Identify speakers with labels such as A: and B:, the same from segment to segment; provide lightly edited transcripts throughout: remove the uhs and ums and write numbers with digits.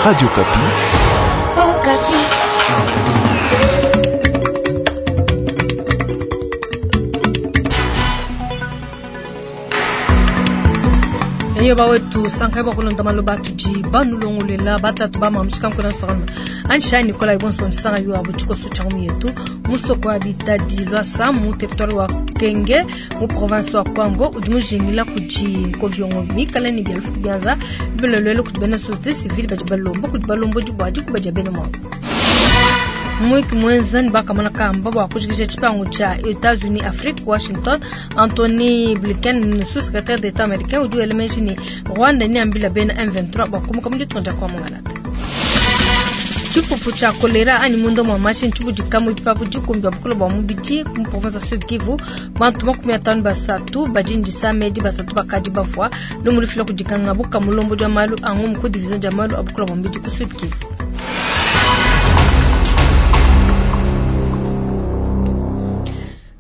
A: Radio Okapi.
B: Okapi.
C: Eyo bawetu sankai bakulonda maloba atudi banulongolela batatu bamamishika nkona nsokama ansha Nicolas ibonso bamisanga yo abo tshikoso tsha mu yetu musoko wa bitadi lwasa mu territoire wa Kenge mu province wa Kwango udi mujingila kudi nkoviongo mikala ni bia lufu bianza bilolelo kudi bena société civile badi balomba kudi balombodi bua dikuba dia bena mwabo mwiki mwenza ni bakamona kamba bua kujikija tshipangu tshia Etats-Unis Afrique Washington Anthony Blinken sous-secrétaire d'État américain udi wela meji ni Rwanda ni ambila bena M23 bua kumuka mu ditunga dia kwa mungalata. Tshipupu tshia kolera anyi munda mua mashi ntshibudika mu bipapu dikumbi bia bukole bua mubidi mu province ya Sud Kivu bantu 53 badi ndisama edi basatu bakadi bafua lumu lufila kudikanga buka mulombodi wa malu a ngumu ku division dia malu a bukole bua mubidi ku Sud Kivu.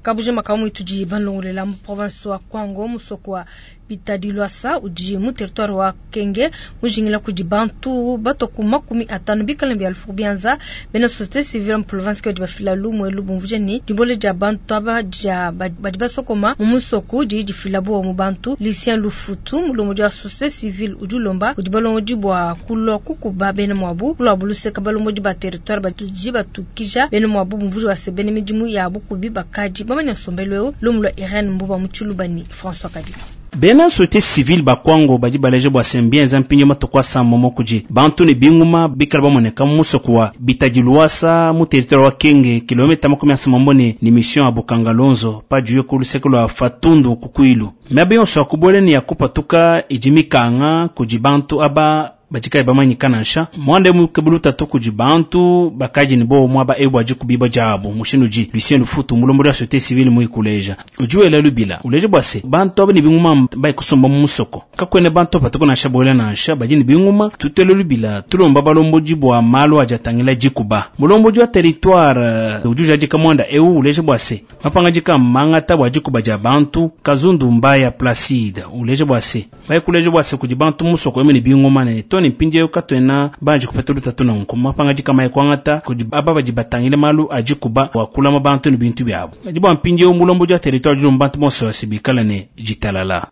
C: Kabujima kamwe tudi balongolela mu province wa Kwango musoko wa Bitadi Lwasa udi mu territoire wa Kenge mujingila kudi bantu batoku 50 bikala bia lufu bianza bena société civile mu province ke bafila lumwe lubumvuje ni dimbole dia bantu aba dia badi basokoma mu musoko di difila bo mu bantu Lucien Lufutu mulomo wa société civile udi ulomba udi balongodi bua kulwa kukuba bena mwabu kulwa buluseka balongodi ba territoire batudi batukija bena mwabu bumvuje wa sebene midimu ya bukubi bakadi bamanya nsombelu eu lumu lwa Irene Mbuba Mutshilubani François Kadima.
D: Bena société civile bakwango badi baleje bua sembienza mpinyo matuku asamba mo kudi bantu ne binguma bikala bamoneka mu musoko wa Bitadi Lwasa mu territoire wa Kenge kilomita 34 ni mission ya Bukangalonzo pajuye ku luseke lwa Fatundu kukwilu miaba yonso ya kubuela ne ya kupatuka idi mikanga kudi bantu aba badikayi bamanyika nansha mwanda mukebulu tatu kudi bantu bakaji ni bo mwaba ebu bua kubiba diabu mushindu ji Lucien Lufutu mulombodi wa société civile muikuleja udi wela lubila uleja bua se bantu aba ne binguma bayi kusomba mu musoko kakwene bantu patuku nansha bolela nansha badi ne binguma tutele lubila tulomba balombodi bua malu adi atangila dikuba mulombodi wa territoire udi ujadika mwanda eu uleja bua se mapangadika mangata bua dikuba dia bantu Kazundu Mbaya Placide uleja bua se bayi kuleja bua se kudi bantu musoko emu ne binguma ne toni mpindiewu katwena banji kupeta lutatu nanku mapangadika mayi kuangata kudi aba badi batangile malu a dikuba bua kulama bantu ne bintu biabu kadi bua mpindiewu mulombodi wa territoire dilomba bantu bonso basi bikala ne ditalala.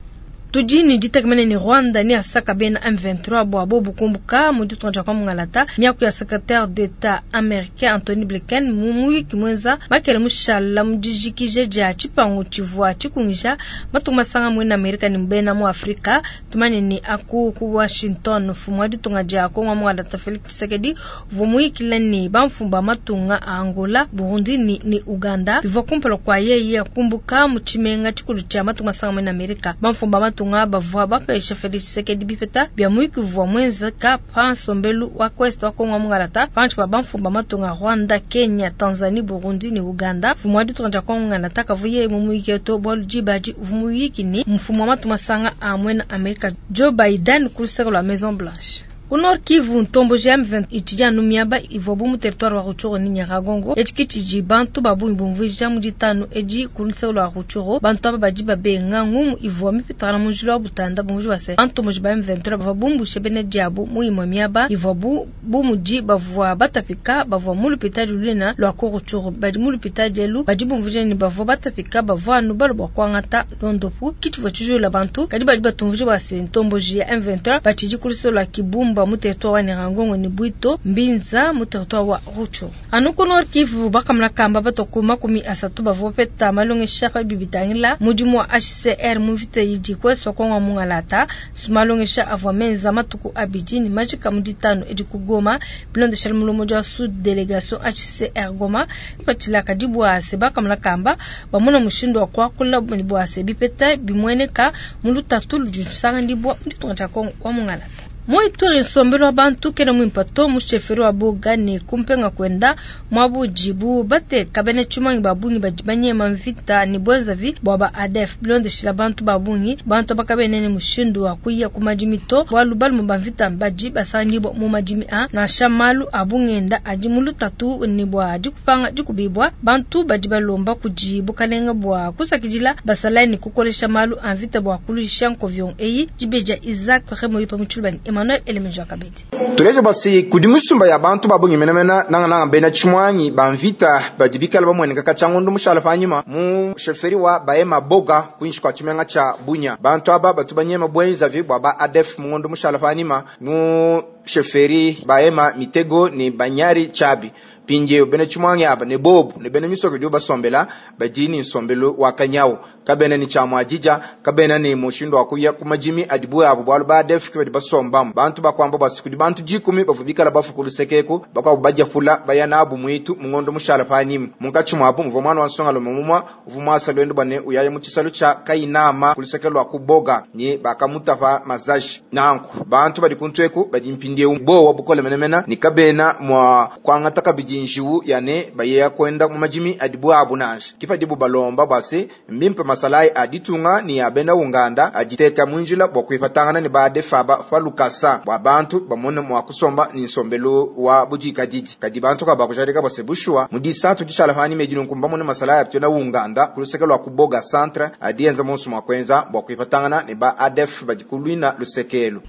C: Tudi ni ditekemene ni Rwanda ni asaka bena M23 bua bobu kumbuka mu ditunga dia kwa mungalata miaku ya secrétaire d'État américain Anthony Blinken mu muyiki mwenza makele mushala mu dijikije dia tshipangu tshivua tshikungija matunga masanga muena Amerika ni bena mu Afrika tumanye ni aku ku Washington mfumu wa ditunga dia Kongo mungalata Felix Tshisekedi uvua muyikila ni bamfumu ba matunga a Angola, Burundi ni Uganda bivua kumpala kua yeye kumbuka mu tshimenga tshikulu tshia matunga masanga muena Amerika bamfumu ba matunga bavua bapesha Felix Tshisekedi bipeta bia muyiki uvua mwenzeka pa nsombelu wa Quest wa Kongo mungalata panshi pa bamfumu ba matunga Rwanda, Kenya, Tanzanie, Burundi ni Uganda. Mfumu wa ditunga dia Kongo mungalata kavuye mu muyiki to bualu diba adi uvua muyiki ni mfumu wa matunga masanga a muena Amerika Joe Biden ku luseke lua Maison Blanche. Ku Nord Kivu ntomboji ya M23 itshidi anu miaba ivuabu mu territoire wa Rutshuru ni Nyiragongo etshi tshidi bantu ba bungi bumvuija mu ditanu edi ku luseke lua Rutshuru bantu aba badi babenga ngumu ivua mipitakana mu njila wa Butanda bumvuija bua se bantomboji ba M23 bavua bumbushe bena diabu mu imue miaba ivuabu bu mudi bavua batapika bavua mu lupitadi lunene lua ku Rutshuru badi mu lupitadi elu badi bumvuija ne bavua batapika bavua anu balua bua kuangata londopu kitshivua tshijula bantu kadi badi batumvuija bua se ntomboji ya M23 batshidi ku luseke lua Kibumba mu territoire wa Nyiragongo ni Bwito Mbinza mu territoire wa Rutshuru. Anu ku Nord Kivu bakamuna kamba batoku 30 bavua bapeta malongesha pa bibitangila mudimu wa HCR mu mvita idi kweswa Kongo mungalata malongesha avua menza matuku abidi ni majika mu ditanu edi ku Goma bilondeshela mulomo wa sous délégation HCR Goma patshila kadi bua se bakamuna kamba bamona mushindu wa kuakula bua se bipeta bimueneka mu lutatu ludi lusanganyibua mu ditunga dia Kongo wa mungalata. Mu Ituri nsombelu wa bantu kena muimpe to mu sheferi wa Boga ne kumpenga kwenda mwabujibu bateka bena tshimangi ba bungi badi banyema mvita ne bwezavi bua ba ADF bilondeshila bantu ba bungi bantu bakabene ne mushindu wa kuya ku madimi to bualu balume ba mvita badi basangibua mu madimi a nansha malu a bungenda adi mu lutatu ne bua dikupanga dikubibua bantu badi balomba kudi bukalenga bua kusakidila basalayi ne kukolesha malu a mvita bua kuluisha nkovion eyi dibeja Isaac Remoyo pa mutshilubani. Emmanuel Elemeja kabidi.
A: Tuleje basi kudi misumba ya bantu babungi menemene nangananga bena tshimwangi ba mvita badi bikala bamueneka katshia mushala panyima mu sheferi wa Bahema Boga kuinshi kwa tshimenga tsha Bunia. Bantu aba batu banyema bwenzavi bwa ba ADF mu ngondo mushala panyima mu sheferi Bahema Mitego ni Banyari Chabi. Pinje bena tshimwangi aba ne bobu ne bena misoko dio basombela badini nsombelo wa kanyawo kabena ni chamwa jija kabena ni mushindo akuya kumajimi adibu abo bwalu ba def kibadi basomba bantu bakwamba basikudi bantu jikumi bavubikala bafukulu sekeko bakwa baja fula bayana abu mwitu mungondo mushala panyima munkachi mwabu mvo mwana wa nsonga lomumwa uvumwasa lwendo bane uyaye mu chisalo cha kainama kulusekelo akuboga ni bakamutafa mazashi nanku bantu badi kuntweku badi mpindie bo wabukole menemena ni kabena mwa kwangata kabiji njiwu yane bayeya kwenda mu majimi adibu abu nashi kifa dibu balomba base mbimpe masalai aditunga ni abenda unganda ajiteka munjila bwa kuifatangana ni baade faba falukasa bwa bantu bamone mwa kusomba ni nsombelo wa bujika didi kadi bantu ka bakujarika base bushwa mudisatu dishala fani medino nkumba mone masalai aptena unganda kuluseke lwa kuboga centre adienza monso mwa kwenza bwa kuifatangana ni ba ADF bajikulwina lusekelo.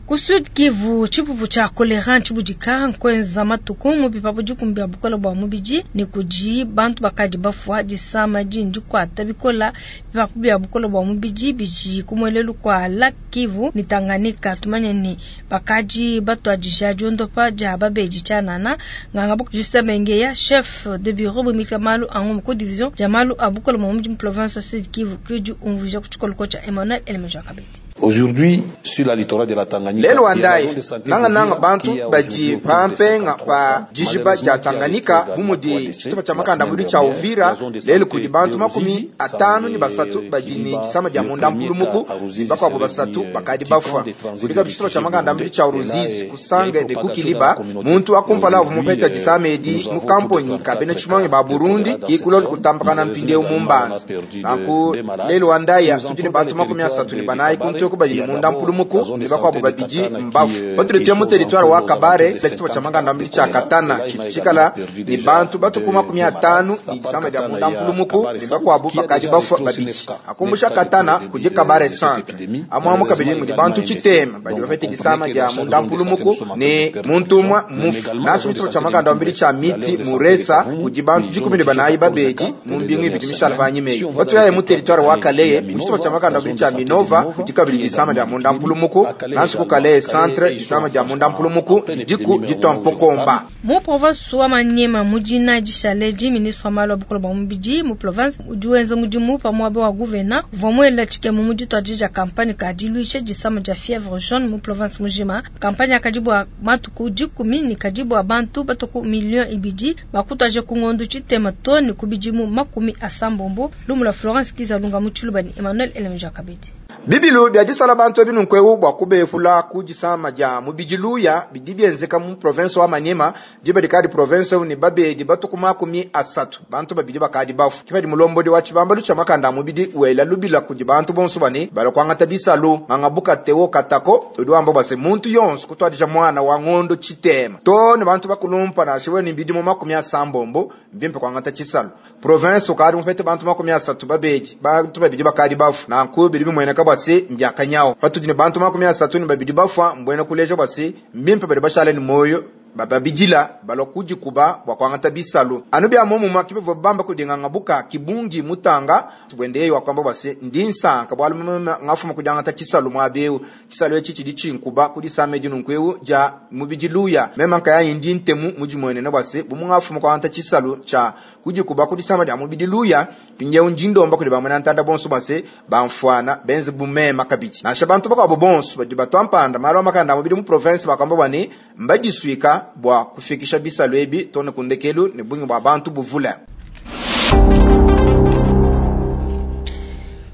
C: Ku Sud Kivu tshipupu tshia kolera ntshibudika nkwenza matuku mu bipapu dikumbi ya bukole bua mubidi ne kudi bantu bakadi bafua disama dindi kuata bikola bipapu bia bukole bua mubidi bidi kumuelelu kua Lac Kivu ni Tanganyika. Tumanye ni bakadi batuadija diondopa dia babedi tshianana nganga buku Justin Bengeya chef de bureau bumika malu angu ku division dia malu a bukole bua mubidi mu province Sud Kivu kudi umvuija ku tshikoloko tshia Emmanuel Elemeja Kabedi.
E: Aujourd'hui, sur la littoral de la Tanganyika,
A: lelo andai nanga nanga bantu baji pampenga pa jijiba ja Tanganyika bumudi chitupa cha makanda mudi cha Uvira lelo kudi bantu 53 baji ni sama ja munda mpulumuku bakwabo basatu bakadi bafwa kulika chitupa cha makanda mudi cha Ruzizi kusange de kukiliba muntu akumpala vumupeta jisamedi mu kamponi kabene chimange ba Burundi kikulo kutambakana mpinde umumbanza nanku lelo andai tutine bantu 34 kuntu kubajili munda mpulumuku ni bakwabo babiji mbafu batuletea mu territoire wa Kabare la chitupa cha makanda mbili cha Katana chichikala ni bantu batukuma 15 ni sama dia munda mpulumuku ni bakwabo bakaji bafu babiji akumbusha Katana kuje Kabare centre amwamu kabili mu bantu chitema baji bafete disama dia munda mpulumuku ni muntumwa mufu nacho chitupa cha makanda mbili cha miti muresa kuji bantu 14 babeji mumbingi bidimishala banyimeyi batuyaye mu territoire wa Kaleye mu chitupa cha makanda mbili cha Minova kuji kabili disama dia munda mpulumuku nansi kukale centre disama dia munda mpulumuku diku ditompokomba
C: mu province wa Maniema mujina dishaleji ministre wa malu a bukole bua mubidi mu province udi wenza mudimu pamuaba wa gouverneur vamwela tshikemu mu dituadija kampanye ka diluisha disama dia fièvre jaune mu province mujima. Kampanye akadi bua matuku 10 ni kadi bua bantu batuku 2 millions bakutuaje ku ngondu tshitema to ni kubidimu 80 lumula Florence Kizalunga mu Tshiluba ni Emmanuel Elemja Kabedi.
A: Bibilu bya disala bantu ebinunkweu bwa kubefula kujisama ja mubijiluya bidi byenzeka mu province wa Maniema jiba dikadi province ni babedi batuku 30 bantu babidi bakadi bafu kibadi mulombodi wa chibambalu cha makanda mubidi wela lubila kuji bantu bonso bane balokwanga bisalu ngangabuka tewo katako udwamba base muntu yonso kutwadija mwana wa ngondo chitema to ne bantu bakulumpa na shiwe ni bidi mu 70 mbimpe kwangata chisalu province ukadi mufete bantu 30 babedi bantu babidi bakadi bafu na nkubiri bimweneka basi mbyakanyawo patudine bantu 30 ni babidi bafwa mbwena kuleja basi mbimpe bali bashale ni moyo bababijila balokuji kuba bwakwangata bisalu anu bya momu makibe bamba kudinganga buka kibungi mutanga tubwendeye wakwamba basi ndi nsanka bwalu ngafuma kudangata chisalu mwabeu chisalu echi chidi chinkuba kudisame dinunkweu ja mubijiluya mema nkaya ndi ntemu mujimwene na basi bumu ngafuma kwangata chisalu cha kujikuba kudisama ja mubijiluya pinje unjindomba kudi bamwe ntanda bonso basi bamfwana benze bumema kabichi nasha bantu bakabo bonso badi batwampanda malo makanda mubidi mu province bakamba bani mbajiswika bwa kufikisha bisalu ebi tone kundekelu ne bungi bwa bantu buvula.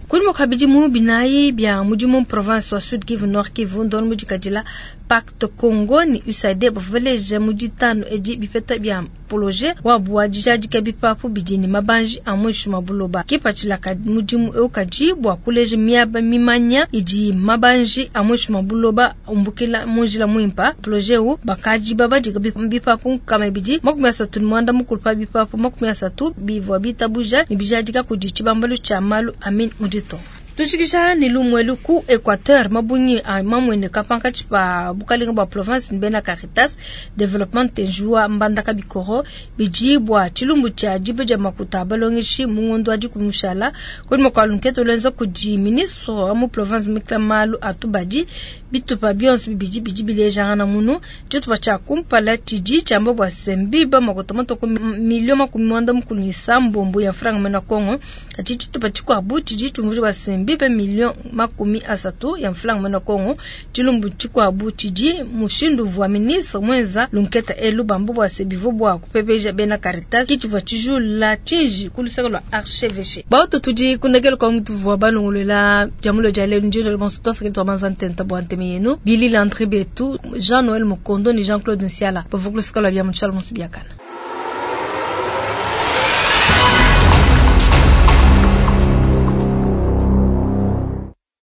C: Kuli mukabidi mu binayi bya mudimu province wa Sud Kivu Nord Kivu ndon mudikadila Pacte Congo ni USAID baveleje muditano edi bipeta bya projet wa bua dijadika bipapu bidini mabanji a mwishi mabuloba kipatshila ka mudimu eukaji bua kuleje miaba mimanya idi mabanji a mwishi mabuloba umbukila munjila mwimpa projet u bakaji babadika bipapu kama bidi 39 mukulupa bipapu 30 bivwa bitabuja ni bijadika kudi tshibambalu tshia malu amin mudito. Tujikija ne lumu elu ku Equateur, mabungi a mamueneka pankatshi pa bukalenga bua province ne bena Caritas Development Njuwa Mbandaka Bikoro bidi bua tshilumbu tshia diba dia makuta a balongeshi mu ngondo wa dikumi mushala. Kunyima kua lunkete luenza kudi ministre wa mu province mukila malu a tubadi, bitupa bionso bibidi bidi bilejangana munu. Tshitupa tshia kumpala tshidi tshiamba bua se mbiba makuta matue ku miliyo 36 ya mfranga mena Congo. Kadi tshitupa tshikuabu tshidi tshiumvuija bua se mbibe miliyo 30 ya mfranga mena Congo. Tshilumbu tshikuabu tshidi mushindu uvua ministre muenza lunketa elu bamba bua se bivua bua kupepeja bena Caritas ke tshivua tshijula tshiji ku luseke lua archevêché. Bautu tudi ku ndekelu kua mutuvua balongoluela dia mulo dia lelu ndilo bonso tuasakidila tuabanza ntenta bua nteme yenu Billy Landry Betu, Jean Noël Mukondo ne Jean-Claude Nsiala bavua ku luseke lua bia mu tshialo musu biakana.